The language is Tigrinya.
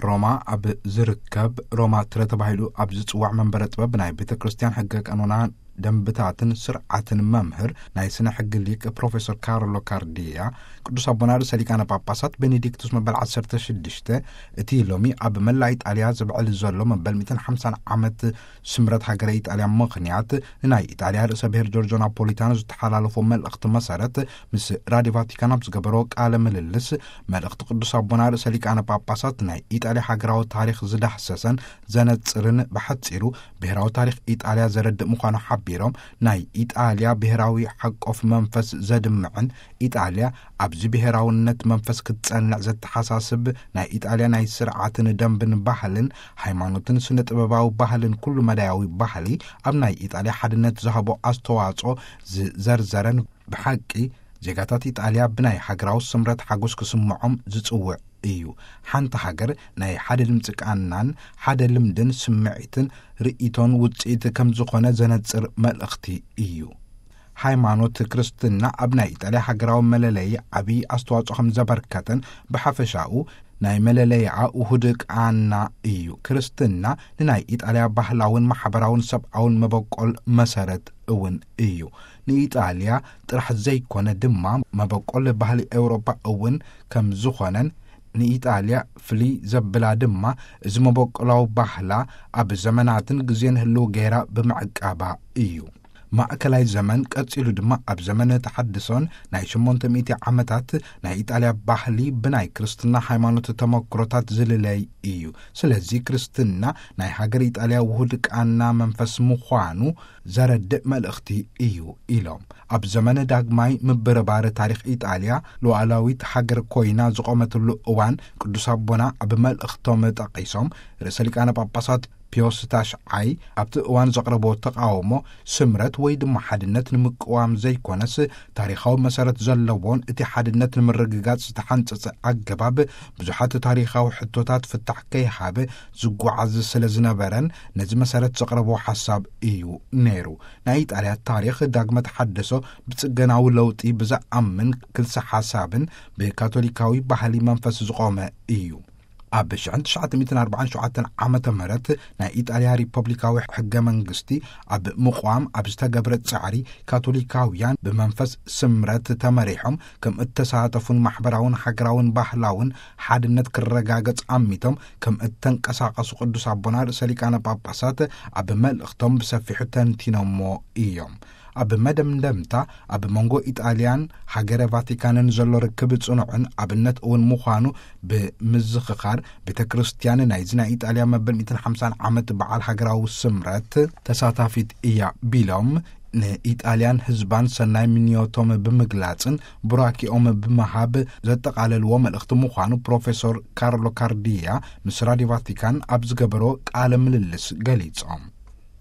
ሮማ ኣብ ዝርከብ ሮማ ትረ ተባሂሉ ኣብ ዝጽዋዕ መንበረ ጥበብ ናይ ቤተ ክርስቲያን ሕገ ቀኖና ደንብታትን ስርዓትን መምህር ናይ ስነ ሕጊ ሊቅ ፕሮፌሰር ካርሎ ካርዲያ፣ ቅዱስ ኣቦና ርእሰ ሊቃነ ጳጳሳት ቤኔዲክቱስ መበል ዓሰርተ ሽዱሽተ እቲ ሎሚ ኣብ መላ ኢጣልያ ዝብዕል ዘሎ መበል ሚእትን ሓምሳን ዓመት ስምረት ሃገረ ኢጣልያ ምኽንያት፣ ንናይ ኢጣልያ ርእሰ ብሔር ጆርጆ ናፖሊታኖ ዝተሓላለፎ መልእኽቲ መሰረት፣ ምስ ራድዮ ቫቲካን ኣብ ዝገበሮ ቃለ ምልልስ፣ መልእኽቲ ቅዱስ ኣቦና ርእሰ ሊቃነ ጳጳሳት ናይ ኢጣልያ ሃገራዊ ታሪኽ ዝዳህሰሰን ዘነጽርን፣ ብሓጺሩ ብሔራዊ ታሪኽ ኢጣልያ ዘረድእ ምዃኑ ሓቢሮም፣ ናይ ኢጣልያ ብሔራዊ ሓቆፍ መንፈስ ዘድምዕን፣ ኢጣልያ ኣብዚ ብሔራውነት መንፈስ ክትጸንዕ ዘተሓሳስብ፣ ናይ ኢጣልያ ናይ ስርዓትን ደንብን ባህልን ሃይማኖትን ስነ ጥበባዊ ባህልን ኩሉ መዳያዊ ባህሊ ኣብ ናይ ኢጣልያ ሓድነት ዝሃቦ ኣስተዋጽኦ ዝዘርዘረን፣ ብሓቂ ዜጋታት ኢጣልያ ብናይ ሃገራዊ ስምረት ሓጎስ ክስምዖም ዝጽውዕ እዩ። ሓንቲ ሃገር ናይ ሓደ ድምፂ ቃናን ሓደ ልምድን ስምዒትን ርእይቶን ውፅኢት ከም ዝኾነ ዘነጽር መልእኽቲ እዩ። ሃይማኖት ክርስትና ኣብ ናይ ኢጣልያ ሃገራዊ መለለዪ ዓብዪ ኣስተዋጽኦ ከም ዘበርከተን፣ ብሓፈሻኡ ናይ መለለይኣ ውሁድ ቃና እዩ። ክርስትና ንናይ ኢጣልያ ባህላውን ማሕበራውን ሰብኣውን መበቆል መሰረት እውን እዩ። ንኢጣልያ ጥራሕ ዘይኮነ ድማ መበቆል ባህሊ ኤውሮጳ እውን ከም ዝኾነን፣ ንኢጣልያ ፍልይ ዘብላ ድማ እዚ መበቆላዊ ባህላ ኣብ ዘመናትን ግዜን ህልው ገይራ ብምዕቃባ እዩ። ማእከላይ ዘመን ቀጺሉ ድማ ኣብ ዘመነ ተሓድሶን ናይ ሸሞንተ ሚእቲ ዓመታት ናይ ኢጣልያ ባህሊ ብናይ ክርስትና ሃይማኖት ተመክሮታት ዝልለይ እዩ። ስለዚ ክርስትና ናይ ሃገር ኢጣልያ ውሁድ ቃና መንፈስ ምዃኑ ዘረድእ መልእኽቲ እዩ ኢሎም። ኣብ ዘመነ ዳግማይ ምብርባር ታሪኽ ኢጣልያ ሉዓላዊት ሃገር ኮይና ዝቖመትሉ እዋን ቅዱስ ኣቦና ኣብ መልእኽቶም ጠቒሶም፣ ርእሰ ሊቃነ ጳጳሳት ፒዮስ ታሽዓይ ኣብቲ እዋን ዘቕረቦ ተቓውሞ ስምረት ወይ ድማ ሓድነት ንምቅዋም ዘይኮነስ ታሪኻዊ መሰረት ዘለዎን እቲ ሓድነት ንምርግጋጽ ዝተሓንጸጸ ኣገባብ ብዙሓት ታሪኻዊ ሕቶታት ፍታሕ ከይሃበ ዝጓዓዝ ስለ ዝነበረን ነዚ መሰረት ዘቕረቦ ሓሳብ እዩ ነይሩ። ናይ ኢጣልያ ታሪኽ ዳግመ ተሓድሶ ብጽገናዊ ለውጢ ብዝኣምን ክልሰ ሓሳብን ብካቶሊካዊ ባህሊ መንፈስ ዝቖመ እዩ። ኣብ ሽሕን ትሽዓተ ሚእትን ኣርባዓን ሸውዓተን ዓመተ ምህረት ናይ ኢጣልያ ሪፐብሊካዊ ሕገ መንግስቲ ኣብ ምቋም ኣብ ዝተገብረ ጻዕሪ፣ ካቶሊካውያን ብመንፈስ ስምረት ተመሪሖም ከም እተሳተፉን ማሕበራውን ሃገራውን ባህላውን ሓድነት ክረጋገጽ ኣሚቶም ከም እተንቀሳቐሱ ቅዱስ ኣቦና ርእሰ ሊቃነ ጳጳሳት ኣብ መልእኽቶም ብሰፊሑ ተንቲኖሞ እዮም። ኣብ መደምደምታ፣ ኣብ መንጎ ኢጣልያን ሃገረ ቫቲካንን ዘሎ ርክብ ጽኑዕን ኣብነት እውን ምዃኑ ብምዝኽኻር፣ ቤተ ክርስቲያን ናይዚ ናይ ኢጣልያ መበል ሚእትን ሓምሳን ዓመት በዓል ሃገራዊ ስምረት ተሳታፊት እያ ቢሎም፣ ንኢጣልያን ህዝባን ሰናይ ምንዮቶም ብምግላጽን ቡራኪኦም ብምሃብ ዘጠቓለልዎ መልእኽቲ ምዃኑ ፕሮፌሰር ካርሎ ካርዲያ ምስ ራድዮ ቫቲካን ኣብ ዝገበሮ ቃለ ምልልስ ገሊጾም።